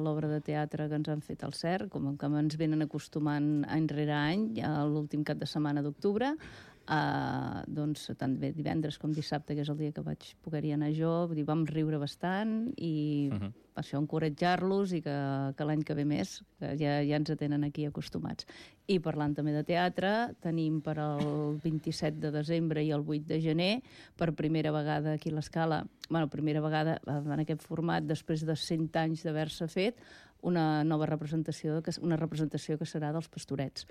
l'obra de teatre que ens han fet al CERC, com que ens venen acostumant any rere any, l'últim cap de setmana d'octubre, doncs tant bé divendres com dissabte, que és el dia que vaig poder-hi anar jo, vull dir, vam riure bastant i per això encoratjar-los i que l'any que ve més, que ja ens tenen aquí acostumats. I parlant també de teatre, tenim per al 27 de desembre i el 8 de gener, per primera vegada aquí a l'Escala, primera vegada en aquest format, després de 100 anys d'haver-se fet, una nova representació, una representació que serà dels Pastorets.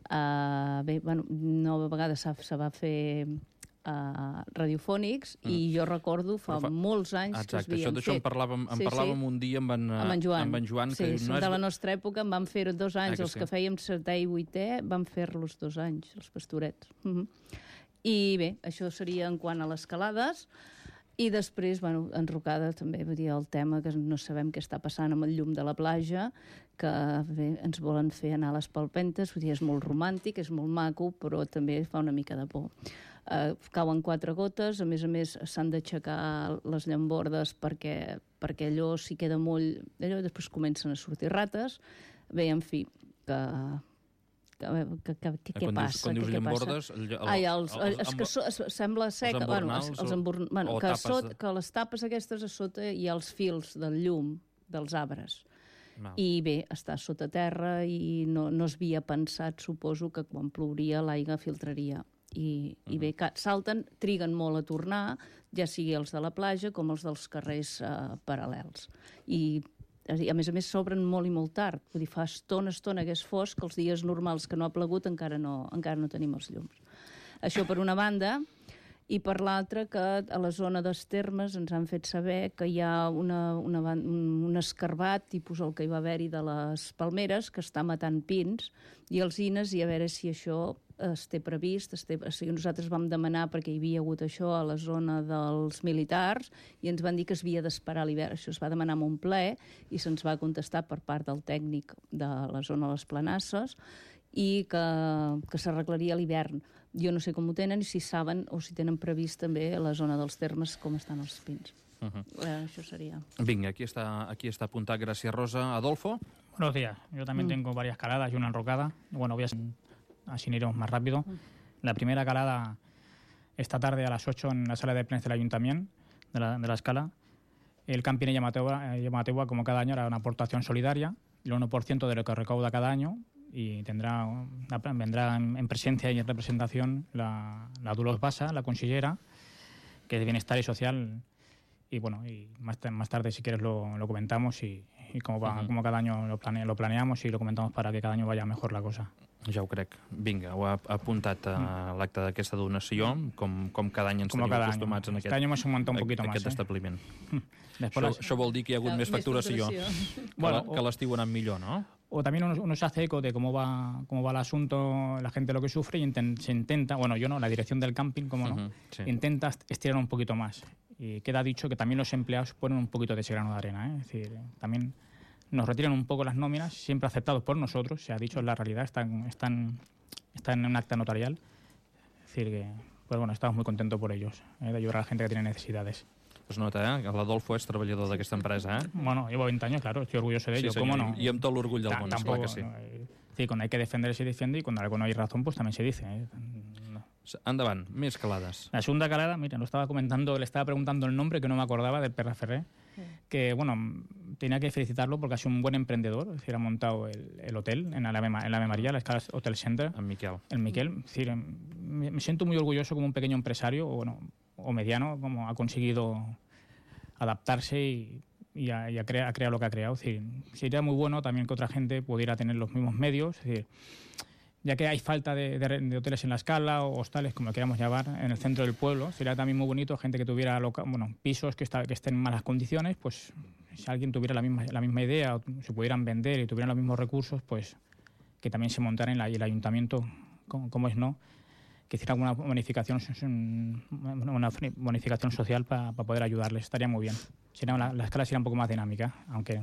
Nova vegada se va fer radiofònics i jo recordo fa molts anys que es havien fet. D'això en parlàvem un dia amb en Joan. Sí, són de la nostra època, en vam fer 2 anys, els que fèiem 7è i 8è, vam fer-los 2 anys, els Pastorets. I bé, això seria en quant a les calades. I després, enrocada també, vull dir, el tema que no sabem què està passant amb el llum de la platja, que bé, ens volen fer anar a les palpentes, vull dir, és molt romàntic, és molt maco, però també fa una mica de por. Cauen 4 gotes, a més s'han d'aixecar les llambordes perquè allò s'hi queda molt... Allò després comencen a sortir rates. Bé, en fi, què passa? Quan dius llambordes... Sembla ser que les tapes aquestes a sota hi ha els fils del llum dels arbres. I bé, està sota terra i no es havia pensat, suposo, que quan plouria l'aigua filtraria. I bé, salten, triguen molt a tornar, ja sigui els de la platja com els dels carrers paral·lels. I a més s'obren molt i molt tard. Vull dir, fa estona que és fosc, que els dies normals que no ha plegut encara no tenim els llums. Això per una banda, i per l'altra que a la zona dels Termes ens han fet saber que hi ha un escarbat, tipus el que hi va haver-hi de les palmeres, que està matant pins i alzines, i a veure si això es té previst. Nosaltres vam demanar, perquè hi havia hagut això a la zona dels militars, i ens van dir que es havia d'esperar l'hivern. Això es va demanar en un ple i se'ns va contestar per part del tècnic de la zona de les Planasses i que s'arreglaria l'hivern. Jo no sé com ho tenen i si saben o si tenen previst també a la zona dels Termes com estan els pins. Això sería. Vinga, aquí está apuntada. Gracias, Rosa. Adolfo. Buenos días. Yo también tengo varias caladas y una enrocada. Bueno, así iremos más rápido. La primera calada esta tarde a las 8 en la sala de plenos del Ayuntamiento de la Escala. El camping Llamategua, como cada año, hará una aportación solidaria, el 1% de lo que recauda cada año, y vendrá en presencia y en representación la Dolors Bassa, la consellera, que es de Bienestar y Social. Y bueno, y más tarde, si quieres, lo comentamos y como cada año lo planeamos y lo comentamos para que cada año vaya mejor la cosa. Ja ho crec. Vinga, ho ha apuntat a l'acte d'aquesta donació, com cada any ens tenim acostumats en aquest establiment. Això vol dir que hi ha hagut més facturació, que l'estiu ha anat millor, ¿no? O también uno se hace eco de cómo va el asunto, la gente lo que sufre, y se intenta, bueno, yo no, la dirección del camping, como no, intenta estirar un poquito más. Y queda dicho que también los empleados ponen un poquito de ese grano de arena, es decir, también nos retiran un poco las nóminas, siempre aceptados por nosotros, se ha dicho, es la realidad, están en un acta notarial. Es decir, que pues bueno, estamos muy contentos por ellos, de ayudar a la gente que tiene necesidades. Es nota, que l'Adolfo és treballador d'aquesta empresa, Bueno, llevo 20 años, claro, estoy orgulloso de ello, sí, ¿cómo no? I amb tot l'orgull del món, esclar que sí. Sí, cuando hay que defender se defiende y cuando no hay razón, pues también se dice. Endavant, més calades. La segunda calada, mira, le estaba preguntando el nombre, que no me acordaba, del Perra Ferrer, que, bueno, tenía que felicitarlo porque ha sido un buen emprendedor, es decir, ha montado el hotel en la Ave María, la Escala Hotel Center. El Miquel. Es decir, me siento muy orgulloso como un pequeño empresario, o mediano, como ha conseguido adaptarse y a crear lo que ha creado. Es decir, sería muy bueno también que otra gente pudiera tener los mismos medios, es decir, ya que hay falta de hoteles en la Escala o hostales, como lo queramos llamar, en el centro del pueblo, sería también muy bonito gente que tuviera pisos que estén en malas condiciones, pues si alguien tuviera la misma idea o se pudieran vender y tuvieran los mismos recursos, pues que también se montara y el ayuntamiento, como es no, que hiciera una bonificación social para poder ayudarles. Estaría muy bien. La escala sería un poco más dinámica, aunque...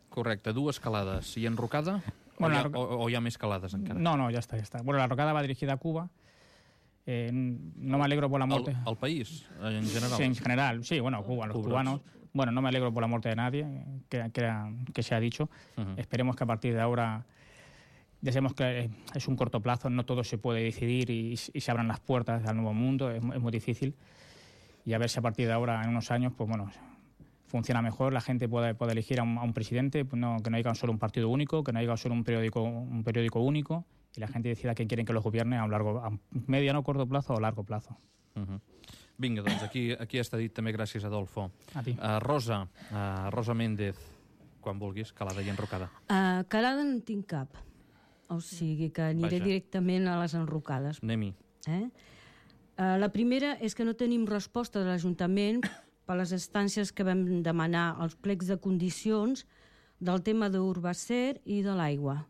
Correcte, 2 calades. I enrocada? O hi ha més calades encara? No, ya está. Bueno, la rocada va dirigida a Cuba. No me alegro por la muerte. ¿Al país, en general? Sí, en general. Sí, bueno, Cuba, los cubanos. Bueno, no me alegro por la muerte de nadie, que se ha dicho. Esperemos que a partir de ahora, ya sabemos que es un corto plazo, no todo se puede decidir y se abran las puertas al nuevo mundo, es muy difícil. Y a ver si a partir de ahora, en unos años, pues bueno, funciona mejor, la gente puede elegir a un presidente, pues que no haya solo un partido único, que no haya solo un periódico único, y la gente decida quién quieren que los gobierne a mediano, corto plazo o largo plazo. Vinga, doncs aquí està dit també, gràcies, Adolfo. A ti. Rosa Méndez, quan vulguis, calada i enrocada. Calada no en tinc cap, o sigui que aniré directament a les enrocades. Anem-hi. La primera és que no tenim resposta de l'Ajuntament per les instàncies que vam demanar als plecs de condicions del tema d'Urbacer i de l'aigua,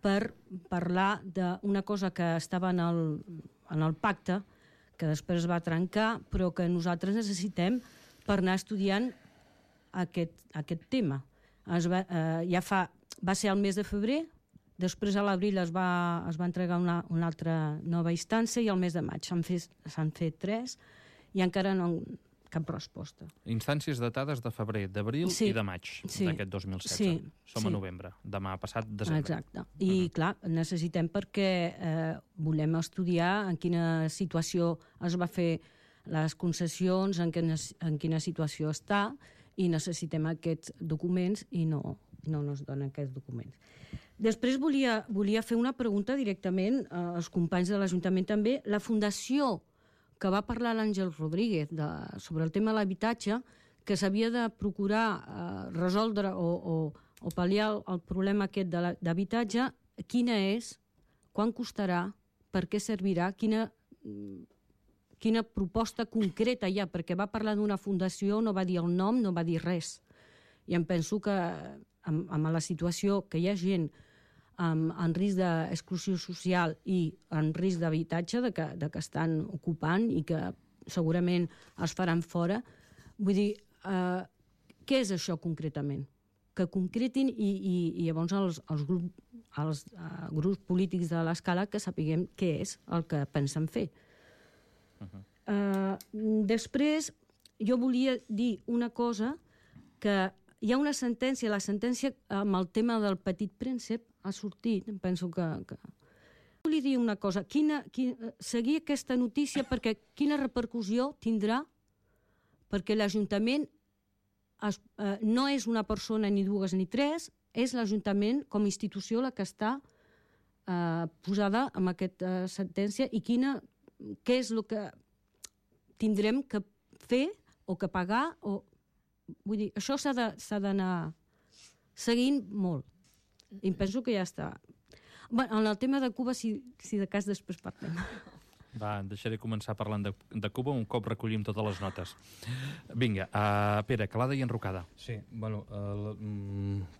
per parlar d'una cosa que estava en el pacte, que després va trencar, però que nosaltres necessitem per anar estudiant aquest tema. Va ser el mes de febrer, després a l'abril es va entregar una altra nova instància i al mes de maig s'han fet 3 i encara no cap resposta. Instàncies datades de febrer, d'abril i de maig d'aquest 2016. Som a novembre, demà passat desembre. Exacte. I clar, necessitem perquè volem estudiar en quina situació es va fer les concessions, en quina situació està, i necessitem aquests documents i no ens donen aquests documents. Després volia fer una pregunta directament als companys de l'Ajuntament també. La Fundació que va parlar l'Àngel Rodríguez sobre el tema de l'habitatge, que s'havia de procurar resoldre o pal·liar el problema aquest d'habitatge, quina és, quan costarà, per què servirà, quina proposta concreta hi ha, perquè va parlar d'una fundació, no va dir el nom, no va dir res. I em penso que amb la situació que hi ha gent en risc d'exclusió social i en risc d'habitatge, que estan ocupant i que segurament es faran fora. Vull dir, què és això concretament? Que concretin i llavors els grups polítics de l'escala que sapiguem què és el que pensen fer. Després, jo volia dir una cosa, que hi ha una sentència, la sentència amb el tema del Petit Príncep ha sortit, em penso que... Volia dir una cosa, seguir aquesta notícia perquè quina repercussió tindrà, perquè l'Ajuntament no és una persona ni dues ni tres, és l'Ajuntament com a institució la que està posada en aquesta sentència i què és el que tindrem que fer o que pagar. Vull dir, això s'ha d'anar seguint molt. I penso que ja està. En el tema de Cuba, si de cas després parlem. Va, deixaré començar parlant de Cuba un cop recollim totes les notes. Vinga, Pere, calada i enrocada. Sí, bueno,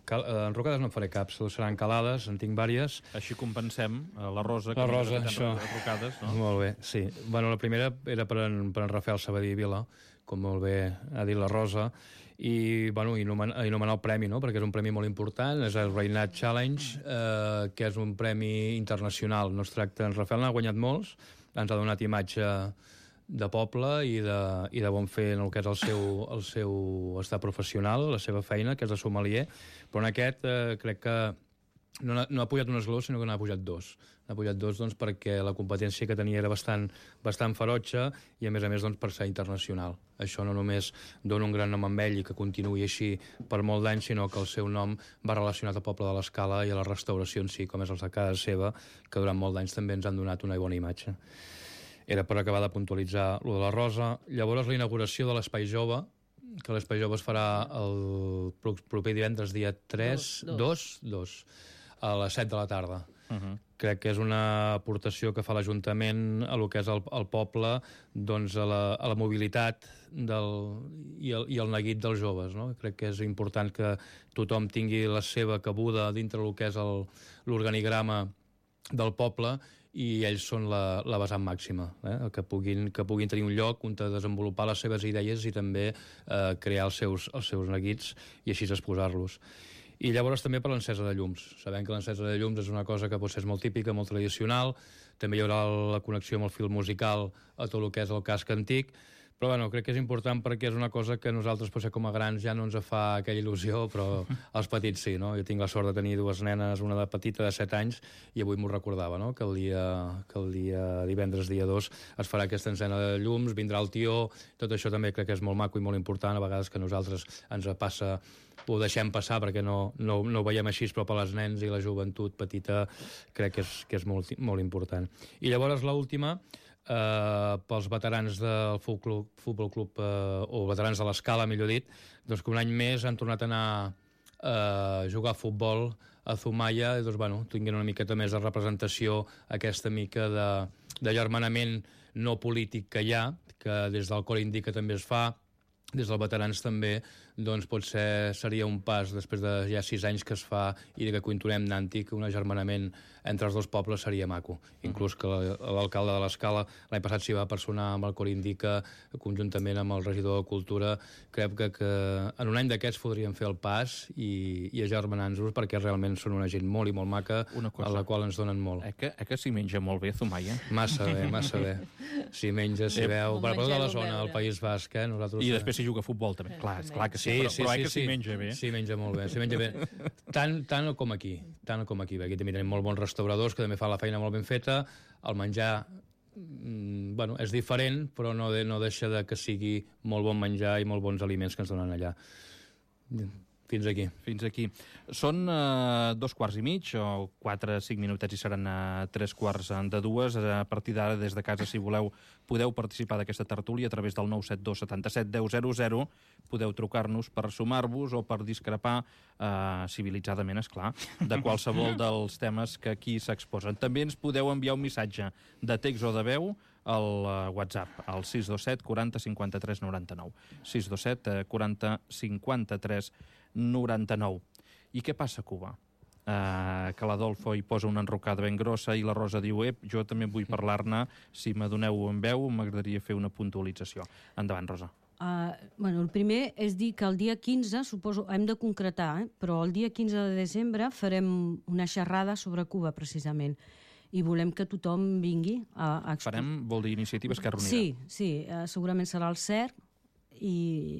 enrocades no en faré cap, seran calades, en tinc vàries. Així compensem la Rosa, la Rosa, això. Enrocades, no? Molt bé, sí. Bueno, la primera era per en Rafael Sabadell Vila, com molt bé ha dit la Rosa, i anomenar el premi, no? Perquè és un premi molt important, és el Reynat Challenge, que és un premi internacional. No es tracta, en Rafael n'ha guanyat molts, ens ha donat imatge de poble i de bon fer en el que és el seu estat professional, la seva feina, que és de sommelier, però en aquest crec que no ha pujat un esglaó, sinó que n'ha pujat 2. N'ha pujat 2 doncs, perquè la competència que tenia era bastant ferotge i, a més, doncs, per ser internacional. Això no només dona un gran nom amb ell i que continuï així per molt d'anys, sinó que el seu nom va relacionat al poble de l'Escala i a la restauració en si, com és el de casa seva, que durant molt d'anys també ens han donat una bona imatge. Era per acabar de puntualitzar lo de la Rosa. Llavors, la inauguració de l'Espai Jove, que l'Espai Jove es farà el proper divendres, dia 2, a les 7 de la tarda. Crec que és una aportació que fa l'Ajuntament a lo que és el poble, doncs a la mobilitat i el neguit dels joves, no? Crec que és important que tothom tingui la seva cabuda dintre del que és l'organigrama del poble i ells són la vessant màxima, que puguin tenir un lloc on desenvolupar les seves idees i també crear els seus neguits i així exposar-los. I llavors també per l'encesa de llums. Sabem que l'encesa de llums és una cosa que potser és molt típica, molt tradicional, també hi haurà la connexió amb el fil musical a tot el que és el casc antic, però bueno, crec que és important perquè és una cosa que nosaltres potser com a grans ja no ens fa aquella il·lusió, però els petits sí, no? Jo tinc la sort de tenir dues nenes, una de petita de 7 anys, i avui m'ho recordava, no? Que el dia divendres, dia 2, es farà aquesta encena de llums, vindrà el tió, tot això també crec que és molt maco i molt important, a vegades que nosaltres ens passa, ho deixem passar perquè no ho veiem així, però per als nens i la joventut petita crec que és molt important. I llavors l'última, pels veterans del Futbol Club, o veterans de l'Escala, millor dit, doncs que un any més han tornat a anar a jugar a futbol a Zumaia, i doncs, bueno, tinguin una miqueta més de representació, aquesta mica de germanament no polític que hi ha, que des del Cor Indica també es fa, des dels veterans també, doncs potser seria un pas, després de ja 6 anys que es fa i que continuem anant-hi, que un agermanament entre els dos pobles seria maco. Inclús que l'alcalde de l'Escala l'any passat s'hi va personar amb el Cor Indica, conjuntament amb el regidor de Cultura. Crec que en un any d'aquests podríem fer el pas i agermanant-nos, perquè realment són una gent molt i molt maca, a la qual ens donen molt. Que s'hi menja molt bé, Zumaia? Massa bé, massa bé. S'hi menja, s'hi veu, per tota la zona del País Basc, nosaltres... I després s'hi juga a futbol també, clar que sí, però que s'hi menja bé. S'hi menja molt bé, s'hi menja bé. Tant com aquí, aquí també tenim molt bons restauradors que també fan la feina molt ben feta, el menjar bueno, és diferent, però no deixa de que sigui molt bon menjar i molt bons aliments que ens donen allà. Fins aquí. Són 2:15, o 4-5 minutets i seran 3:45. A partir d'ara, des de casa, si voleu, podeu participar d'aquesta tertúlia a través del 972 77 10 00. Podeu trucar-nos per sumar-vos o per discrepar, civilitzadament, esclar, de qualsevol dels temes que aquí s'exposen. També ens podeu enviar un missatge de text o de veu al WhatsApp, al 627 40 53 99. 627 40 53 99. I què passa a Cuba? Que l'Adolfo hi posa una enrocada ben grossa i la Rosa diu, jo també vull parlar-ne, si m'adoneu en veu, m'agradaria fer una puntualització. Endavant, Rosa. El primer és dir que el dia 15, suposo, hem de concretar, però el dia 15 de desembre farem una xerrada sobre Cuba, precisament, i volem que tothom vingui a explicar. Farem, vol dir Iniciativa Esquerra Unida? Sí, segurament serà el CERC, i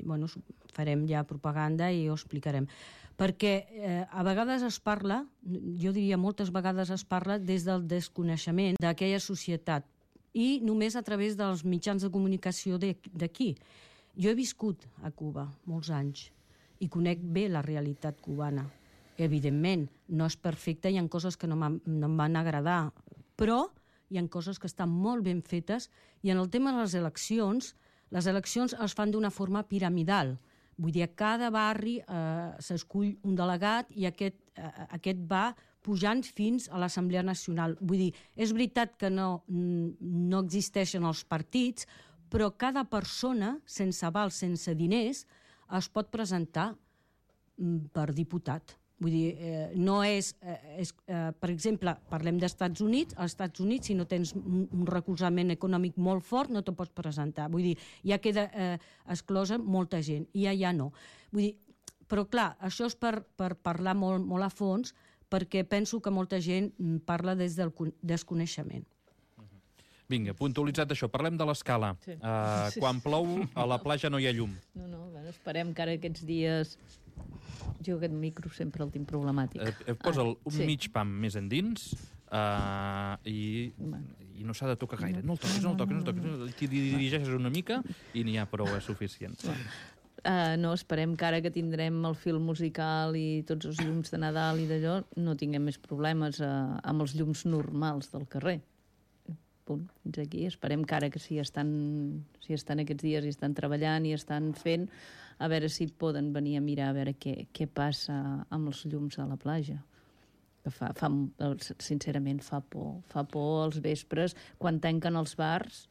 farem ja propaganda i ho explicarem. Perquè a vegades es parla, jo diria moltes vegades es parla des del desconeixement d'aquella societat i només a través dels mitjans de comunicació d'aquí. Jo he viscut a Cuba molts anys i conec bé la realitat cubana. Evidentment, no és perfecta, hi ha coses que no em van agradar, però hi ha coses que estan molt ben fetes, i en el tema de les eleccions es fan d'una forma piramidal. Vull dir, a cada barri s'escull un delegat i aquest va pujant fins a l'Assemblea Nacional. Vull dir, és veritat que no existeixen els partits, però cada persona, sense aval, sense diners, es pot presentar per diputat. Vull dir, no és... Per exemple, parlem d'Estats Units. Als Estats Units, si no tens un recolzament econòmic molt fort, no te pots presentar. Vull dir, ja queda exclosa molta gent, i allà no. Vull dir, però clar, això és per parlar molt a fons, perquè penso que molta gent parla des del desconeixement. Vinga, puntualitzat això, parlem de l'Escala. Quan plou, a la platja no hi ha llum. No, esperem que ara aquests dies... Jo aquest micro sempre el tinc problemàtic. Posa'l un mig pam més endins i no s'ha de tocar gaire. No el toques. T'hi dirigeixes una mica i n'hi ha prou suficient. No, esperem que ara que tindrem el fil musical i tots els llums de Nadal i d'allò, no tinguem més problemes amb els llums normals del carrer. Punt, fins aquí. Esperem que ara que si estan aquests dies i estan treballant i estan fent, a veure si poden venir a mirar a veure què passa amb els llums a la platja. Sincerament, fa por. Fa por als vespres, quan tanquen els bars,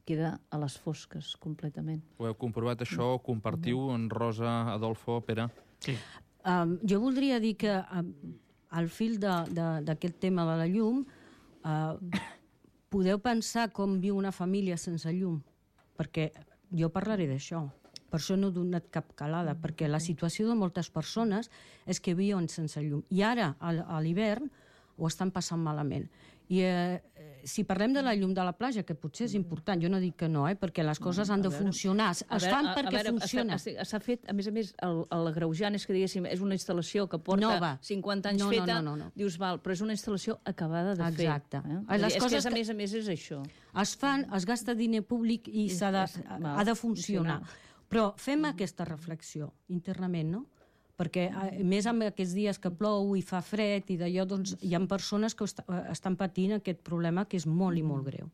queda a les fosques completament. Ho heu comprovat això? Compartiu en Rosa, Adolfo, Pere? Sí. Jo voldria dir que al fil d'aquest tema de la llum podeu pensar com viu una família sense llum, perquè jo parlaré d'això. Per això no he donat cap calada, perquè la situació de moltes persones és que viuen sense llum. I ara, a l'hivern, ho estan passant malament. I si parlem de la llum de la platja, que potser és important, jo no dic que no, perquè les coses han de funcionar. Es fan perquè funciona. S'ha fet, a més, l'agreujant és que, diguéssim, és una instal·lació que porta 50 anys feta, dius, val, però és una instal·lació acabada de fer. Exacte. És que, a més, és això. Es fan, es gasta diner públic i ha de funcionar. Però fem aquesta reflexió internament, no? Perquè, més amb aquests dies que plou i fa fred i d'allò, doncs, hi ha persones que estan patint aquest problema que és molt i molt greu.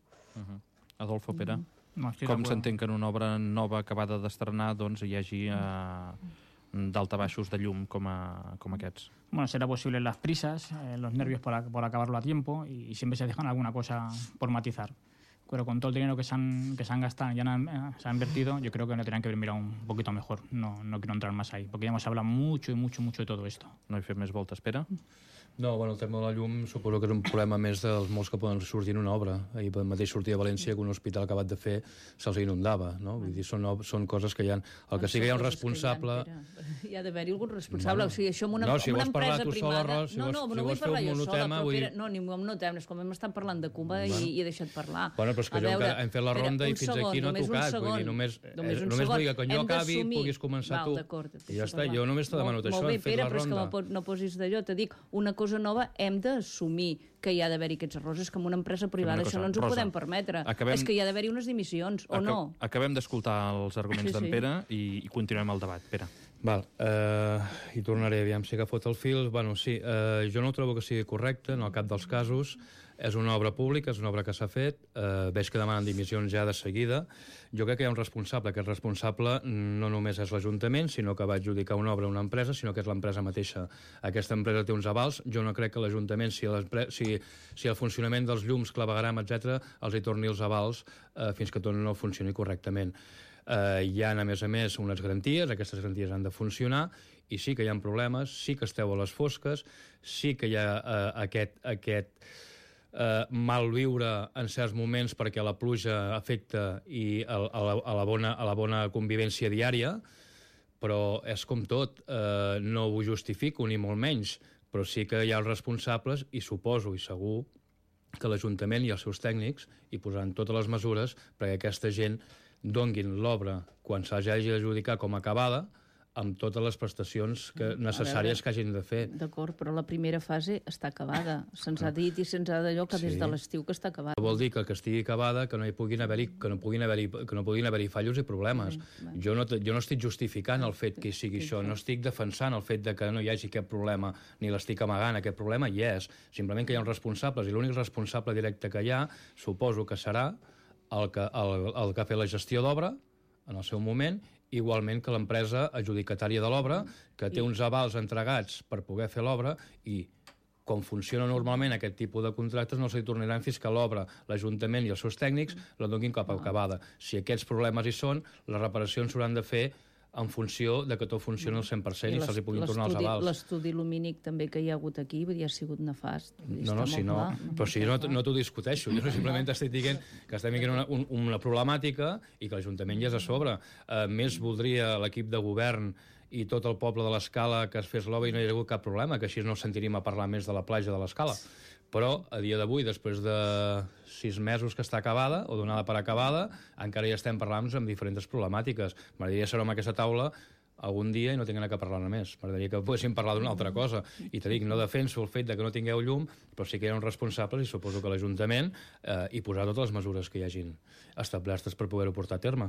Adolfo, Pere, com s'entén que en una obra nova acabada d'estrenar doncs hi hagi daltabaixos de llum com aquests? Bueno, será posible las prisas, los nervios por acabarlo a tiempo y siempre se dejan alguna cosa por matizar. Pero con todo el dinero que se han gastado, se ha invertido, yo creo que no tendrían que haber mirado un poquito mejor. No quiero entrar más ahí, porque ya hemos hablado mucho de todo esto. No hi fem més voltes, Pere? No, bueno, el tema de la llum suposo que és un problema més dels molts que poden sortir en una obra. Ahir mateix sortia a València que un hospital acabat de fer se'ls inundava, no? Vull dir, són coses que hi ha... El que sí que hi ha un responsable... Hi ha d'haver-hi algun responsable, o sigui, això amb una empresa privada... No vull parlar jo sola, però Pere, no, ni un monotem, és com hem estat parlant de Cuba i he deixat parlar. Bueno, però és que hem fet la ronda i fins aquí no ha tocat, vull dir, només vull que quan jo acabi puguis començar tu. I ja està, jo només t'he demanat això, hem fet la ronda. Molt bé, Pere, però és que no posis d'allò, te dic, una cosa nova hem d'assumir que hi ha d'haver-hi aquests errors. És que en una empresa privada això no ens ho podem permetre. És que hi ha d'haver-hi unes dimissions, o no? Acabem d'escoltar els arguments d'en Pere i continuem el debat. Pere. Val, i tornaré, aviam si he agafat el fil. Bueno, sí, jo no ho trobo que sigui correcte, en el cap dels casos. És una obra pública, és una obra que s'ha fet, veig que demanen dimissions ja de seguida. Jo crec que hi ha un responsable. Aquest responsable no només és l'Ajuntament, sinó que va adjudicar una obra a una empresa, sinó que és l'empresa mateixa. Aquesta empresa té uns avals. Jo no crec que l'Ajuntament, si el funcionament dels llums, clavegram, etc., els hi torni els avals fins que tot no funcioni correctament. Hi ha, a més, unes garanties, aquestes garanties han de funcionar, i sí que hi ha problemes, sí que esteu a les fosques, sí que hi ha aquest malviure en certs moments perquè la pluja afecta i a la bona convivència diària, però és com tot, no ho justifico ni molt menys, però sí que hi ha els responsables i suposo i segur que l'Ajuntament i els seus tècnics hi posaran totes les mesures perquè aquesta gent donguin l'obra quan s'hagi d'adjudicar com a acabada amb totes les prestacions necessàries que hagin de fer. D'acord, però la primera fase està acabada. Se'ns ha dit i se'ns ha d'allò que des de l'estiu que està acabada. Vol dir que estigui acabada, que no puguin haver-hi fallos i problemes. Jo no estic justificant el fet que hi sigui això, no estic defensant el fet de que no hi hagi cap problema, ni l'estic amagant, aquest problema hi és. Simplement que hi ha uns responsables, i l'únic responsable directe que hi ha, suposo que serà el que ha fet la gestió d'obra en el seu moment, igualment que l'empresa adjudicatària de l'obra, que té uns avals entregats per poder fer l'obra i com funciona normalment aquest tipus de contractes no s'hi tornaran fins que l'obra, l'Ajuntament i els seus tècnics la donin cap a acabada. Si aquests problemes hi són, les reparacions s'hauran de fer en funció de que tot funcioni al 100% i se'ls puguin tornar els avals. L'estudi lumínic també que hi ha hagut aquí ha sigut nefast. No, però si no t'ho discuteixo, jo simplement estic dient que estem vivint una problemàtica i que l'Ajuntament ja és a sobre. Més voldria l'equip de govern i tot el poble de l'Escala que es fes l'obra i no hi ha hagut cap problema, que així no sentiríem a parlar més de la platja de l'Escala. Però a dia d'avui, després de 6 mesos que està acabada, o donada per acabada, encara ja estem parlant amb diferents problemàtiques. M'agradaria ser amb aquesta taula algun dia i no tinguem que parlar-ne més. M'agradaria que poguéssim parlar d'una altra cosa. I te dic, no defenso el fet de que no tingueu llum, però sí que hi ha uns responsables i suposo que l'Ajuntament hi posarà totes les mesures que hi hagin establertes per poder-ho portar a terme.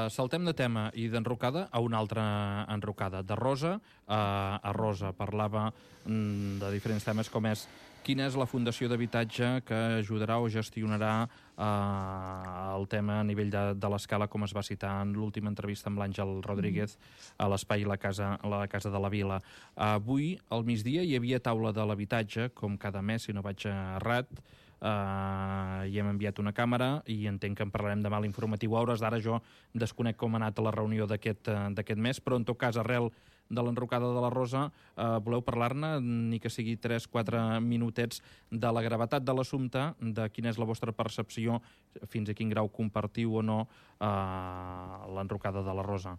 Saltem de tema i d'enrocada a una altra enrocada. De Rosa a Rosa. Parlava de diferents temes com és quina és la fundació d'habitatge que ajudarà o gestionarà el tema a nivell de l'Escala, com es va citar en l'última entrevista amb l'Àngel Rodríguez a l'espai la casa de la Vila. Avui, al migdia, hi havia taula de l'habitatge, com cada mes, si no vaig errat. Hi hem enviat una càmera i entenc que en parlarem demà a l'informatiu a hores. D'ara jo desconec com ha anat la reunió d'aquest mes, però en tot cas, arrel de l'enrocada de la Rosa. Voleu parlar-ne, ni que sigui 3-4 minutets, de la gravetat de l'assumpte, de quina és la vostra percepció, fins a quin grau compartiu o no l'enrocada de la Rosa?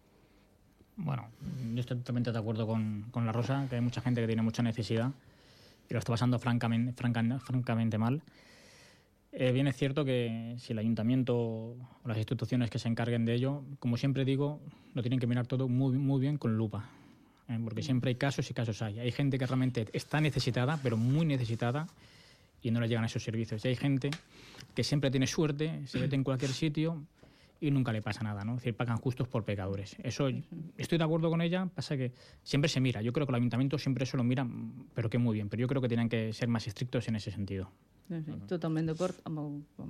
Bueno, yo estoy totalmente de acuerdo con la Rosa, que hay mucha gente que tiene mucha necesidad y lo está pasando francamente mal. Bien es cierto que si el ayuntamiento o las instituciones que se encarguen de ello, como siempre digo, lo tienen que mirar todo muy bien con lupa, porque siempre hay casos y casos hay. Hay gente que realmente está necesitada, pero muy necesitada, y no le llegan a esos servicios. Y hay gente que siempre tiene suerte, se mete en cualquier sitio y nunca le pasa nada, ¿no? Es decir, pagan justos por pecadores. Eso, estoy de acuerdo con ella, pasa que siempre se mira. Yo creo que el ayuntamiento siempre eso lo mira, pero que muy bien. Pero yo creo que tienen que ser más estrictos en ese sentido. Sí, totalment d'acord amb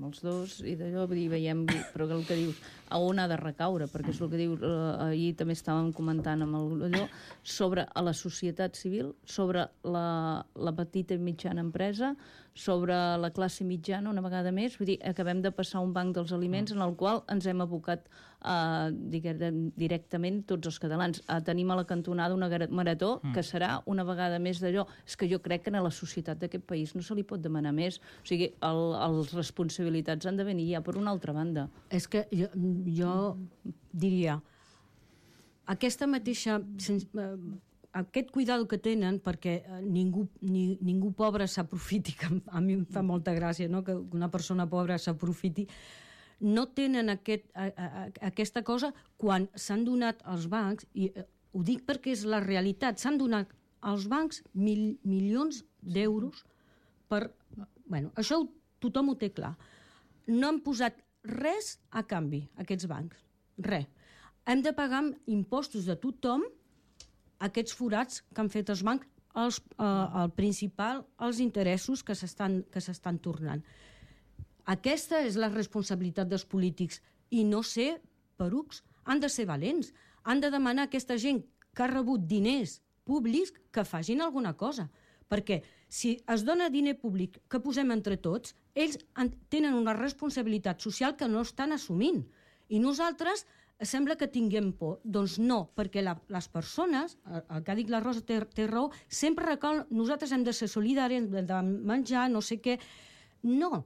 els dos, i d'allò veiem, però el que dius, a on ha de recaure, perquè és el que dius, ahir també estàvem comentant amb allò, sobre a la societat civil, sobre la petita i mitjana empresa, sobre la classe mitjana una vegada més. Vull dir, acabem de passar un banc dels aliments en el qual ens hem abocat directament tots els catalans. Tenim a la cantonada una marató que serà una vegada més d'allò. És que jo crec que a la societat d'aquest país no se li pot demanar més. O sigui, les responsabilitats han de venir ja per una altra banda. És que jo diria, aquesta mateixa... aquest cuidado que tenen perquè ningú pobre s'aprofiti, que a mi em fa molta gràcia, no? Que una persona pobra s'aprofiti, no tenen aquesta cosa quan s'han donat als bancs, i ho dic perquè és la realitat, s'han donat als bancs milions d'euros per... Bueno, això tothom ho té clar. No han posat res a canvi, aquests bancs. Res. Hem de pagar amb impostos de tothom aquests forats que han fet els bancs, el principal, els interessos que s'estan tornant. Aquesta és la responsabilitat dels polítics, i no ser perucs. Han de ser valents. Han de demanar a aquesta gent que ha rebut diners públics que facin alguna cosa. Perquè si es dona diner públic que posem entre tots, ells tenen una responsabilitat social que no estan assumint. I nosaltres sembla que tinguem por. Doncs no, perquè les persones, el que ha dit la Rosa té raó, sempre recau, nosaltres hem de ser solidaris, hem de menjar, no sé què. No,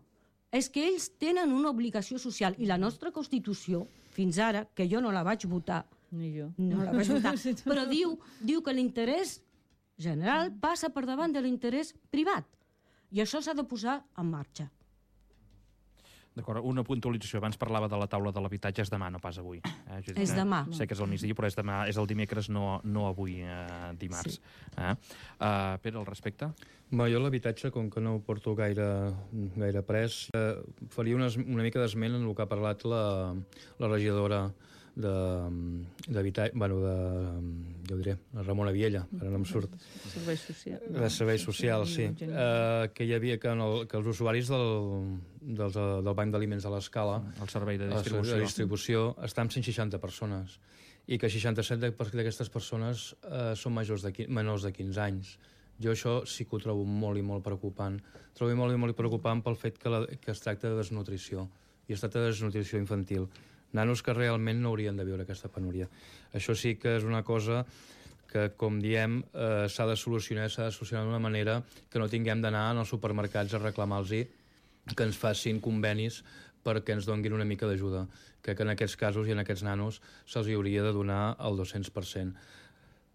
és que ells tenen una obligació social, i la nostra Constitució, fins ara, que jo no la vaig votar, ni jo. No la vaig votar, però diu que l'interès general passa per davant de l'interès privat. I això s'ha de posar en marxa. D'acord, una puntualització. Abans parlava de la taula de l'habitatge, és demà, no pas avui. És demà. Sé que és el migdia, però és demà, és el dimecres, no avui, dimarts. Sí. Pere, al respecte? Jo l'habitatge, com que no ho porto gaire pres, faria una mica d'esment en el que ha parlat la regidora d'habitatge, jo diré, la Ramona Viella, ara no em surt. Serveis socials. De serveis socials, sí. Que hi havia que els usuaris del Banc d'Aliments de l'Escala, el servei de distribució, està amb 160 persones, i que 67 d'aquestes persones són menors de 15 anys. Jo això sí que ho trobo molt i molt preocupant. Trobo molt i molt preocupant pel fet que es tracta de desnutrició, i es tracta de desnutrició infantil. Nanos que realment no haurien de viure aquesta penúria. Això sí que és una cosa que, com diem, s'ha de solucionar d'una manera que no tinguem d'anar als supermercats a reclamar-los que ens facin convenis perquè ens donguin una mica d'ajuda. Crec que en aquests casos i en aquests nanos se'ls hauria de donar el 200%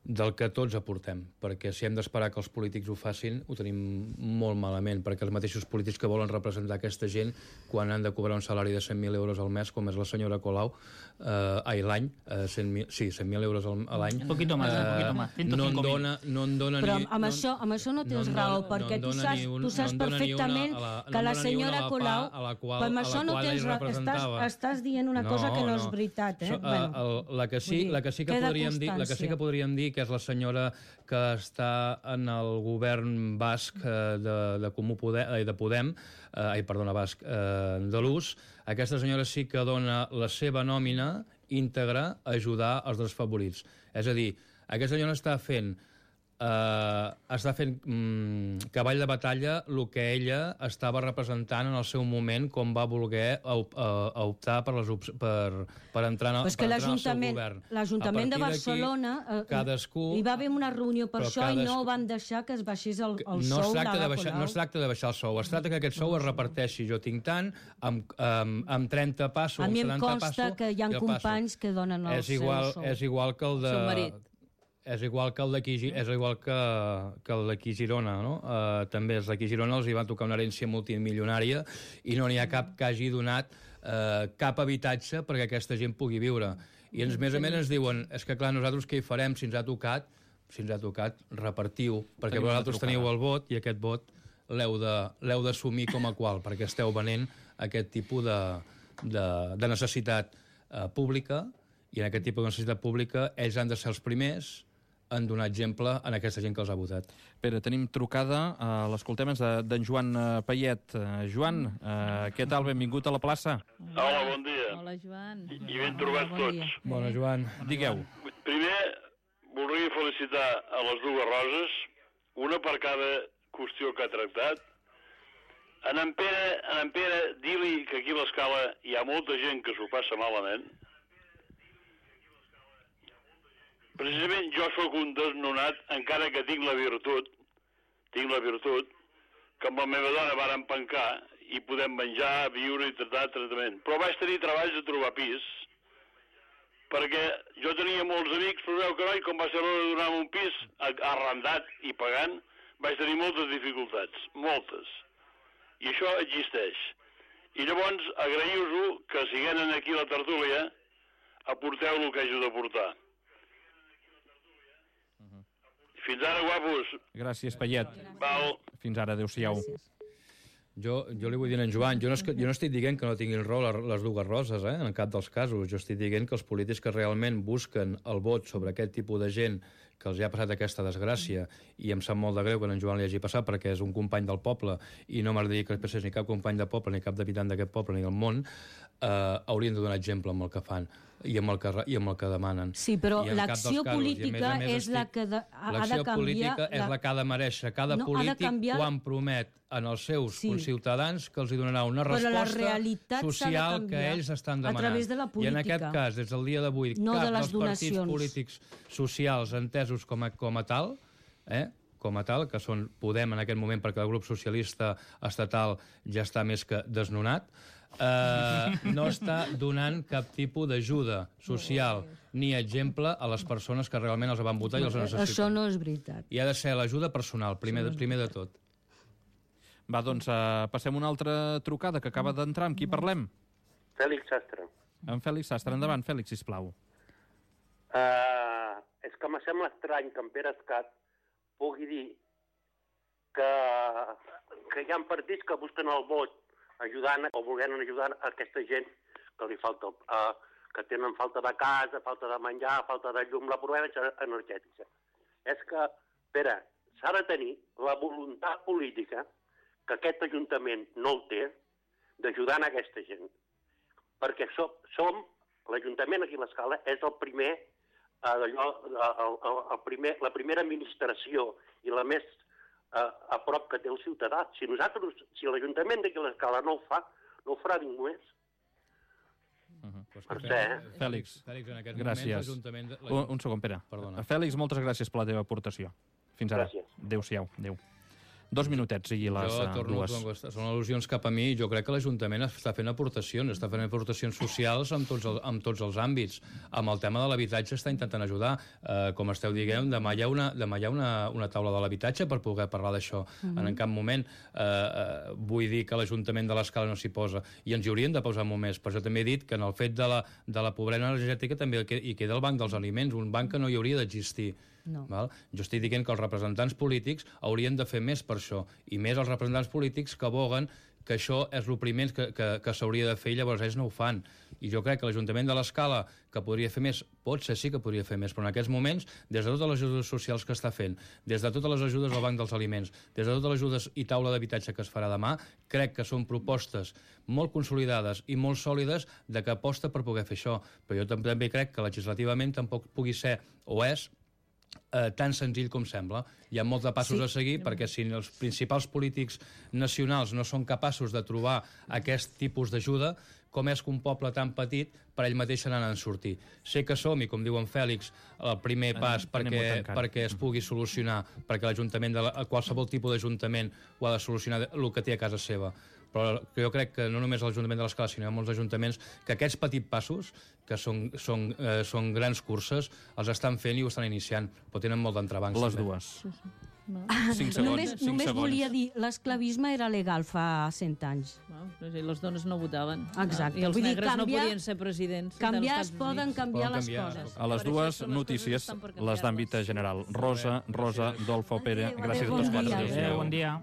del que tots aportem, perquè si hem d'esperar que els polítics ho facin, ho tenim molt malament, perquè els mateixos polítics que volen representar aquesta gent, quan han de cobrar un salari de 100.000 euros al mes, com és la senyora Colau, l'any, 100.000 euros a l'any, un poquito más. No en dona però amb això no tens raó, perquè tu saps perfectament que la senyora Colau, amb això no tens raó, estàs dient una cosa que no és veritat. La que sí que podríem dir que és la senyora que està en el govern basc de Podem, basc de l'US. Aquesta senyora sí que dona la seva nòmina íntegra a ajudar els desfavorits. És a dir, aquesta senyora està fent està fent cavall de batalla el que ella estava representant en el seu moment com va voler optar per entrar en el seu govern. L'Ajuntament de Barcelona hi va haver una reunió per això i no van deixar que es baixés el sou. No es tracta de baixar el sou, es tracta que aquest sou es reparteixi. Jo tinc tant, amb 30 passos, amb 70 passos... A mi em consta que hi ha companys que donen el seu sou. És igual que el de... Seu marit. És igual que el d'aquí Girona, no? També els d'aquí Girona els hi va tocar una herència multimilionària i no n'hi ha cap que hagi donat cap habitatge perquè aquesta gent pugui viure. I a més ens diuen, és que clar, nosaltres què hi farem si ens ha tocat? Si ens ha tocat, repartiu, perquè vosaltres teniu el vot i aquest vot l'heu d'assumir com a qual, perquè esteu venent aquest tipus de necessitat pública i en aquest tipus de necessitat pública ells han de ser els primers en donar exemple en aquesta gent que els ha votat. Pere, tenim trucada, l'escoltem, és d'en Joan Payet. Joan, què tal? Benvingut a la plaça. Hola, bon dia. Hola, Joan. I ben trobats tots. Bona, Joan. Digueu. Primer, voldria felicitar a les dues Roses, una per cada qüestió que ha tractat. En Pere, dir-li que aquí a l'Escala hi ha molta gent que s'ho passa malament. Precisament jo sóc un desnonat, encara que tinc la virtut, que amb la meva dona vàrem pencar i podem menjar, viure i tractament. Però vaig tenir treballs de trobar pis, perquè jo tenia molts amics, però veu que no, i com va ser l'hora de donar-me un pis arrendat i pagant, vaig tenir moltes dificultats, moltes. I això existeix. I llavors agraïu-vos que siguent aquí a la tertúlia aporteu el que hagi de portar. Fins ara, guapos. Gràcies, Payet. Val. Fins ara, adéu-siau. Jo li vull dir a en Joan, jo no estic dient que no tinguin raó les dues Roses, en cap dels casos. Jo estic dient que els polítics que realment busquen el vot sobre aquest tipus de gent que els ha passat aquesta desgràcia, i em sap molt de greu que en Joan li hagi passat perquè és un company del poble i no m'agradaria que passés ni cap company de poble, ni cap d'habitant d'aquest poble, ni del món, haurien de donar exemple amb el que fan i amb el que demanen. Sí, però l'acció política és la que ha de canviar... L'acció política és la que ha de mereixer cada polític quan promet en els seus conciutadans que els hi donarà una resposta social que ells estan demanant. A través de la política. I en aquest cas, des del dia d'avui, cap dels partits polítics socials entesos com a tal, que són Podem en aquest moment, perquè el grup socialista estatal ja està més que desnonat, no està donant cap tipus d'ajuda social ni exemple a les persones que realment els van votar i els necessiten. Això no és veritat. I ha de ser l'ajuda personal, primer de tot. Va, doncs, passem una altra trucada que acaba d'entrar. Amb qui parlem? Fèlix Sastre. En Fèlix Sastre. Endavant, Fèlix, sisplau. És que me sembla estrany que en Pere Escat pugui dir que hi ha partits que busquen el vot ajudant o volent ajudar a aquesta gent que li falta, que tenen falta de casa, falta de menjar, falta de llum, la pobresa energètica. És que, Pere, s'ha de tenir la voluntat política, que aquest Ajuntament no el té, d'ajudar a aquesta gent. Perquè l'Ajuntament aquí a l'Escala és el primer, la primera administració i la més a prop que té el ciutadà. Si l'Ajuntament d'aquí a l'Escala no ho farà ningú més. Fèlix, gràcies. Un segon, Pere. Fèlix, moltes gràcies per la teva aportació. Fins ara. Adéu-siau. Adéu. 2 minutets i les dues. Són al·lusions cap a mi. Jo crec que l'Ajuntament està fent aportacions socials en tots els àmbits. Amb el tema de l'habitatge està intentant ajudar. Com esteu dient, demà hi ha una taula de l'habitatge per poder parlar d'això. En cap moment vull dir que l'Ajuntament de l'Escala no s'hi posa. I ens hi haurien de posar molt més. Per això també he dit que en el fet de la pobresa energètica també hi queda el banc dels aliments, un banc que no hi hauria d'existir. No. Jo estic dient que els representants polítics haurien de fer més per això, i més els representants polítics que aboguen que això és el primer que s'hauria de fer i llavors ells no ho fan. I jo crec que l'Ajuntament de l'Escala, que podria fer més, potser sí que podria fer més, però en aquests moments, des de totes les ajudes socials que està fent, des de totes les ajudes al Banc dels Aliments, des de totes les ajudes i taula d'habitatge que es farà demà, crec que són propostes molt consolidades i molt sòlides de que aposta per poder fer això. Però jo també crec que legislativament tampoc pugui ser, o és, tan senzill com sembla. Hi ha molts de passos a seguir, perquè si els principals polítics nacionals no són capaços de trobar aquest tipus d'ajuda, com és que un poble tan petit per ell mateix se n'ha de sortir. Sé que som, i com diu en Fèlix, el primer pas perquè es pugui solucionar, perquè l'Ajuntament, qualsevol tipus d'Ajuntament ho ha de solucionar el que té a casa seva. Però jo crec que no només l'Ajuntament de l'Escala, sinó hi ha molts ajuntaments que aquests petits passos, que són grans curses, els estan fent i ho estan iniciant, però tenen molt d'entrebancs. Les dues. 5 segons. Només volia dir, l'esclavisme era legal fa 100 anys. Les dones no votaven. Exacte. I els negres no podien ser presidents. Canviar es poden canviar les coses. A les dues notícies, les d'àmbit general. Rosa, Dolfo, Pere, gràcies a tots quatre. Bon dia.